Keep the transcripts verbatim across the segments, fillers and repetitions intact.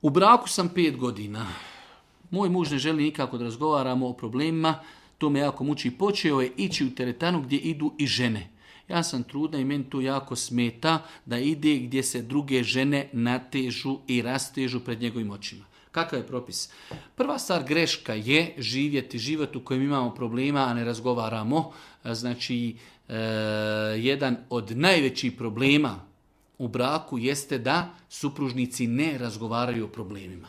U braku sam pet godina. Moj muž ne želi nikako da razgovaramo o problemima, to me jako muči. Počeo je ići u teretanu gdje idu i žene. Ja sam trudna i meni to jako smeta da ide gdje se druge žene natežu i rastežu pred njegovim očima. Kakav je propis? Prva stvar, greška je živjeti život u kojem imamo problema, a ne razgovaramo. Znači, e, jedan od najvećih problema u braku jeste da supružnici ne razgovaraju o problemima.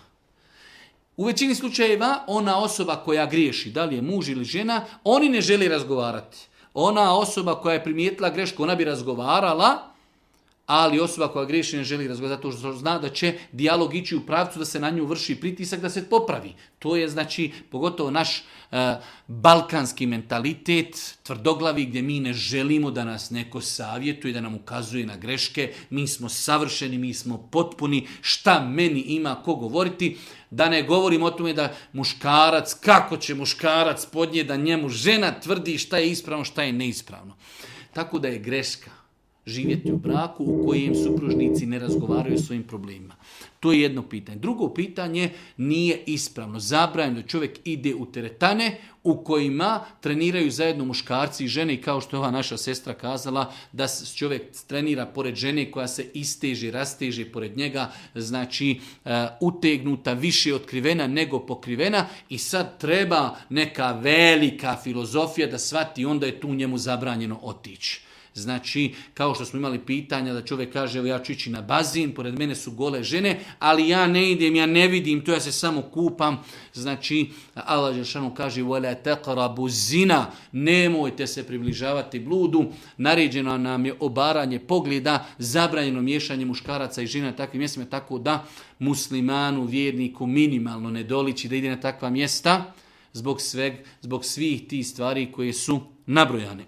U većini slučajeva ona osoba koja griješi, da li je muž ili žena, oni ne žele razgovarati. Ona osoba koja je primijetila grešku, ona bi razgovarala, ali osoba koja griješi ne želi razgovarati zato što zna da će dijalog ići u pravcu da se na nju vrši pritisak da se popravi. To je znači pogotovo naš uh, balkanski mentalitet, tvrdoglavi, gdje mi ne želimo da nas neko savjetuje, da nam ukazuje na greške. Mi smo savršeni, mi smo potpuni, šta meni ima ko govoriti. Da ne govorim o tome da muškarac, kako će muškarac podnijeti da njemu žena tvrdi šta je ispravno, šta je neispravno. Tako da je greška živjeti u braku u kojem supružnici ne razgovaraju o svojim problemima. To je jedno pitanje. Drugo pitanje, nije ispravno. Zabranjeno da čovjek ide u teretane u kojima treniraju zajedno muškarci i žene, i kao što je ova naša sestra kazala, da čovjek trenira pored žene koja se isteže, rasteže pored njega, znači uh, utegnuta, više otkrivena nego pokrivena, i sad treba neka velika filozofija da shvati, onda je tu njemu zabranjeno otići. Znači, kao što smo imali pitanja da čovjek kaže, evo ja ću ići na bazin, pored mene su gole žene, ali ja ne idem, ja ne vidim, to ja se samo kupam. Znači, Allah dželešanu kaže, وَلَا تَقْرَبُ zina, nemojte se približavati bludu, naređeno nam je obaranje pogleda, zabranjeno miješanje muškaraca i žena na takvim mjestima, tako da muslimanu, vjerniku minimalno ne doliči da ide na takva mjesta zbog, sveg, zbog svih tih stvari koje su nabrojane.